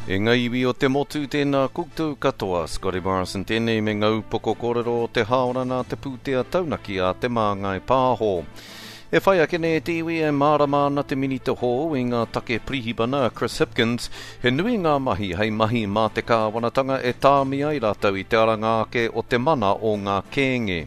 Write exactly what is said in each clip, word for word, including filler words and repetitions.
E ngā iwi o te motu tēnā koutou katoa, Scotty Morrison tēnei me ngā upoko kōrero o te haora nā te pūtea taunaki a Te Māngai Pāho. E whai ake nei te iwi e mārama ana te minita hou i ngā take pirihimana a Chris Hipkins, he nui ngā mahi hei mahi mā te kāwanatanga e tāmi ai rātou i te aranga ake o te mana o ngā kēnge.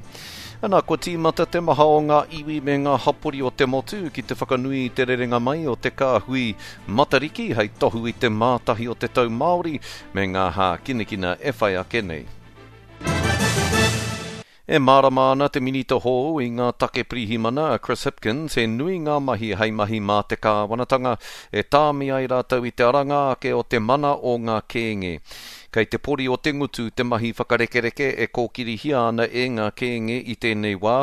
Ana, kua tīmata te maha o ngā iwi me ngā hapori o te motu ki te whakanui i te rerenga mai o te kāhui Matariki hei tohu i te mātahi o te tau Māori me ngā hākinakina e whai ake nei. E mārama ana te minita hou i ngā take pirihimana a Chris Hipkins he nui ngā mahi hei mahi mā te kāwanatanga e tāmi ai rātou i te aranga ake o te mana o ngā kēnge. Kei te pori o te ngutu te mahi whakarekereke e kōkirihia ana e ngā kēnge i tēnei wā,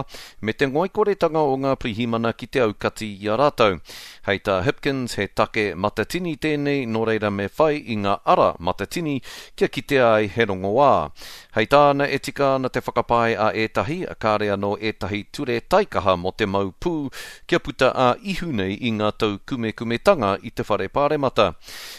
me te ngoikoretanga o ngā pirihimana ki te aukati i a rātou. Hei tā Hipkins he take matatini tēnei nō reira me whai i ngā ara matatini kia kitea ai he rongoā. Hei tāna e tika ana te whakapae a ētahi, kāre anō ētahi ture taikaha mō te mau pū kia puta a ihu nei i ngā taukumekumetanga i te whare pāremata.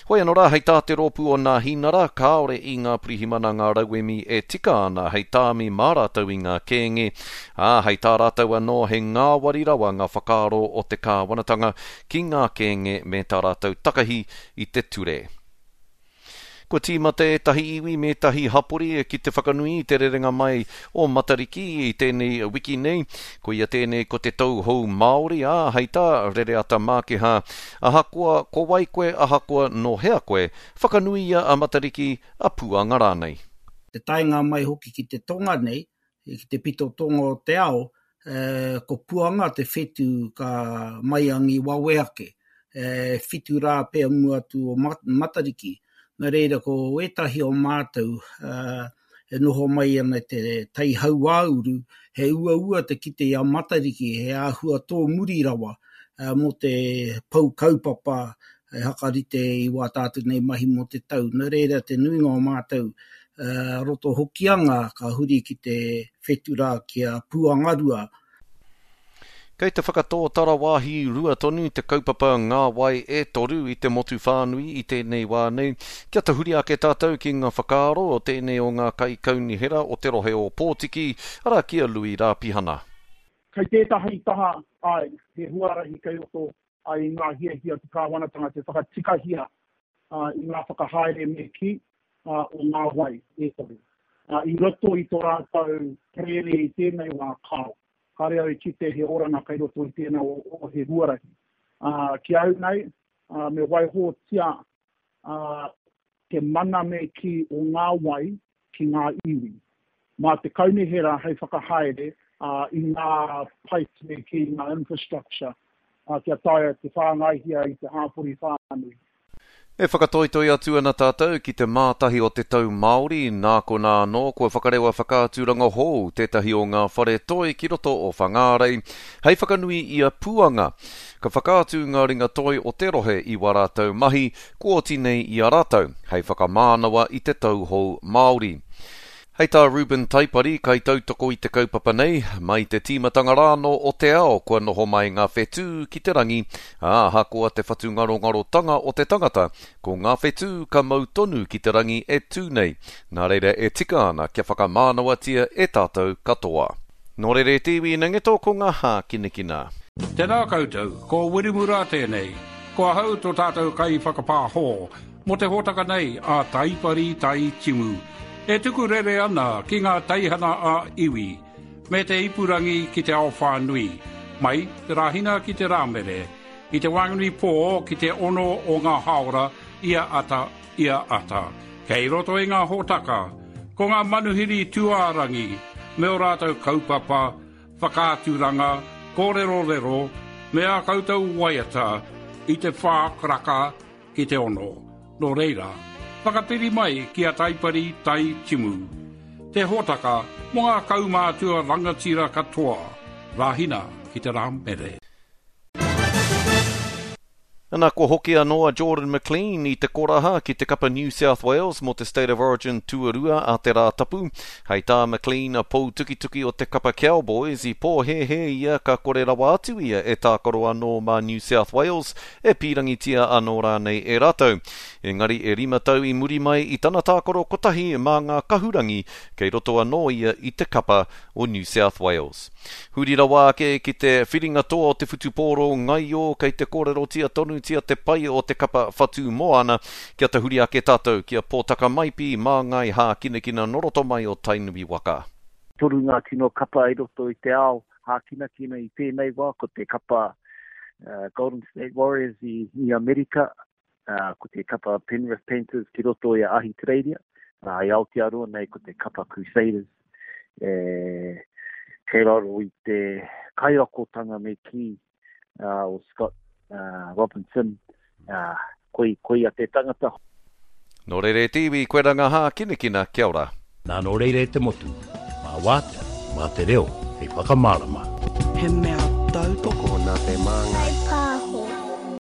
Hoi anō rā, hei tā te rōpū o Nāhinara, kāore i ngā pirihimana ngā rauemi e tika ana hei tāmi mā rātou i ngā kēnge, ā, hei tā rātou anō he ngāwari rawa ngā whakaaro o te kāwanatanga ki ngā kēnge me tā rātou takahi i te ture. Kua tīmata ētahi iwi me ētahi hapori ki te whakanui i te rerenga mai o Matariki i tēnei wiki nei. Koia tēnei ko te tau hou Māori, ā, hei tā Rereata Mākiha, ahakoa ko wai koe, ahakoa nō hea koe, whakanuia a Matariki, a Puanga rānei. Te taenga mai hoki ki te tonga nei, ki te pito tonga o te ao, eh, ko Puanga te whetū ka maiangi wawe ake, eh, whitu rā pea mua atu o Matariki. Nā reira ko ētahi o mātou uh, e noho mai ana te tai hauāuru, he uaua te kite i a Matariki, he āhua tō muri rawa uh, mō te pou kaupapa e hakarite i wā tātou nei mahi mō te tau. Nā reira te nuinga o mātou uh, roto hokianga ka huri ki te whetura ki a Puangarua. Kei te whakatōtara wāhi rua tonu te kaupapa ngā wai e toru i te motu whānui i tēnei wā nei. Kia tahuri ake tātou ki ngā whakaaro o tēnei o ngā kaikaunihera o te rohe o Pōtiki, arā ki a Lui Rāpihana. Kei tētahi taha, ai, he huarahi kei roto ai i ngā hiahia te kāwanatanga te whakatikahia uh, i ngā whakahaere me ki uh, o ngā wai e toru. Uh, I roto i tō rātou prere i tēnei wā kao. Kāre au i kite he oranga kei roto i tēnā o, o he huarahi. Uh, ki au nei, uh, me waihotia uh, te mana me ki o ngā wai ki ngā iwi. Mā te kaunihera hei whakahaere uh, i ngā pipes me ki ngā infrastructure uh, kia taea te whāngaihia i te hāpori whānui. E whakatoitoi atu ana tātou ki te mātahi o te tau Māori, nā konā anō kua whakarewa whakaaturanga hou tētahi o ngā whare toi ki roto o Whangārei, hei whakanui i a Puanga. Ka whakaatu ngā ringa toi o te rohe i wā rātou mahi, kua oti nei i a rātou, hei whakamānawa i te tau hou Māori. Hei tā Ruben Taipari, kai tautoko i te kaupapa nei, mai te tīmatanga rāno o te ao kua noho mai ngā whetū ki te rangi, ā, ahakoa te whatungarongarotanga o te tangata, ko ngā whetū ka mau tonu ki te rangi e tū nei. Nā reira e tika ana kia whakamānawatia e tātou katoa. Nō reira e te iwi inangeto ko ngā hākinakina. Tēnā koutou, ko Wiremu Rā tēnei, ko ahau tō tātou kai whakapāhō, mō te hōtaka nei a Taipari Tai Timu. E tuku rere ana ki ngā teihana a iwi, me te ipurangi ki te ao whānui, mai te Rāhina ki te Rāmere, i te Whanganui pō ki te ono o ngā haora ia ata, ia ata. Kei roto i ngā hōtaka, ko ngā manuhiri tūārangi, me o rātou kaupapa, whakaaturanga, kōrerorero, me ā koutou waiata i te whā karaka ki te ono. Nō reira, whakapiri mai ki a Taipari Tai Timu. Te hōtaka mō ngā kaumātua rangatira katoa, Rāhina ki te Rāmere. Ana kua hoki anō a Jordan McLean i te koraha ki te kapa New South Wales mō te State of Origin tuarua a te Rātapu. Hei tā McLean, a poutukituki o te kapa Cowboys, i pōhēhē ia ka kore rawa atu ia e tākaro anō mā New South Wales, e pīrangitia anō rānei e rātou. Engari e rima tau i muri mai i tana tākaro kotahi mā ngā kahurangi, kei roto anō ia i te kapa o New South Wales. Huri rawa ake ki te whiringa toa o te whutupōro ngaio kei te kōrerotia tonutia te pai o te kapa Whatu Moana, kia tahuri ake tātou ki a Pōtaka Maipi māngai hākinakina nō roto mai o Tainui waka. Toru ngā tino kapa i roto i te ao hākinakina i tēnei wā, ko te kapa uh, Golden State Warriors i, i Amerika, uh, ko te kapa Penrith Panthers ki roto i Ahitereiria, uh, i Aotearoa nei ko te kapa Crusaders. E, kei raro i te kaiakotanga me ki uh, o Scott uh, Robinson, uh, koi, koi a te tangata. Nō reira e te iwi, koe rā ngā hākinakina, kia ora. Nā nō reira e te motu, mā wātea, mā te reo, hei whakamārama. He mea tautoko Nā te Māngai